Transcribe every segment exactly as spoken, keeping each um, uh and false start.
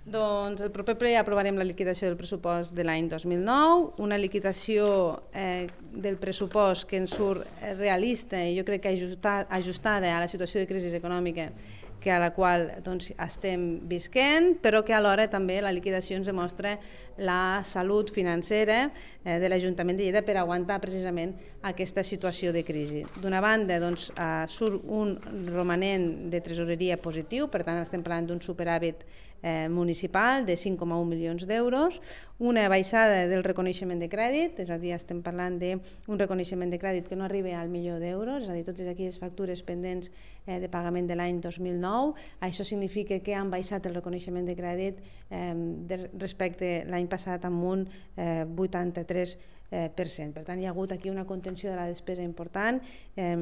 Doncs el proper ple aprovarem la liquidació del pressupost de l'any dos mil nou, una liquidació eh, del pressupost que ens surt realista i jo crec que ajustada, ajustada a la situació de crisi econòmica que a la qual doncs, estem visquent, però que alhora també la liquidació ens demostra la salut financera eh, de l'Ajuntament de Lleida per aguantar precisament aquesta situació de crisi. D'una banda, doncs, eh, surt un romanent de tresoreria positiu, per tant estem parlant d'un superàvit eh, municipal de cinc coma un milions d'euros, una baixada del reconeixement de crèdit, és a dir, estem parlant d'un reconeixement de crèdit que no arriba al milió d'euros, és a dir, totes aquelles factures pendents eh, de pagament de l'any dos mil nou. Això significa que han baixat el reconeixement de crèdit eh, de, respecte l'any passat amb un eh, vuitanta-tres per cent. Per tant, hi ha hagut aquí una contenció de la despesa important eh,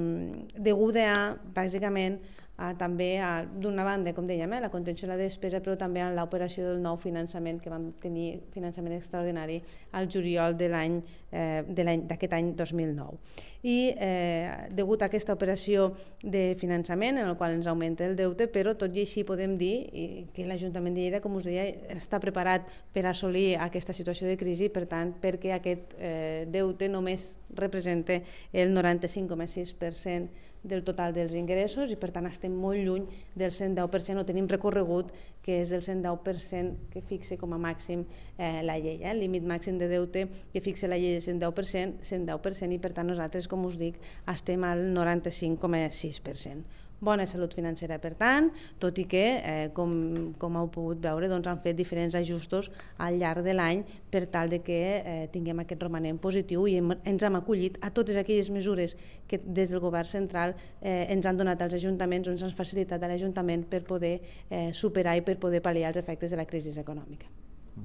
deguda a, bàsicament, a, també a, d'una banda, com dèiem, eh, la contenció de la despesa, però també a l'operació del nou finançament que vam tenir, finançament extraordinari, al juliol de l'any eh, d'aquest any dos mil nou. I eh, degut a aquesta operació de finançament, en el qual ens augmenta el deute, però tot i així podem dir que l'Ajuntament de Lleida, com us deia, està preparat per assolir aquesta situació de crisi, per tant, perquè aquest eh, deute només representa el noranta-cinc coma sis per cent del total dels ingressos i per tant estem molt lluny del cent deu per cent, o tenim recorregut que és el cent deu per cent que fixa com a màxim eh, la llei, eh? El límit màxim de deute que fixa la llei de cent deu per cent, cent deu per cent i per tant nosaltres, com us dic, estem al noranta-cinc coma sis per cent. Bona salut financera, per tant, tot i que, eh, com, com heu pogut veure, doncs, han fet diferents ajustos al llarg de l'any per tal de que eh, tinguem aquest romanent positiu i hem, ens hem acollit a totes aquelles mesures que des del govern central eh, ens han donat als ajuntaments, o ens han facilitat a l'Ajuntament per poder eh, superar i per poder pal·liar els efectes de la crisi econòmica.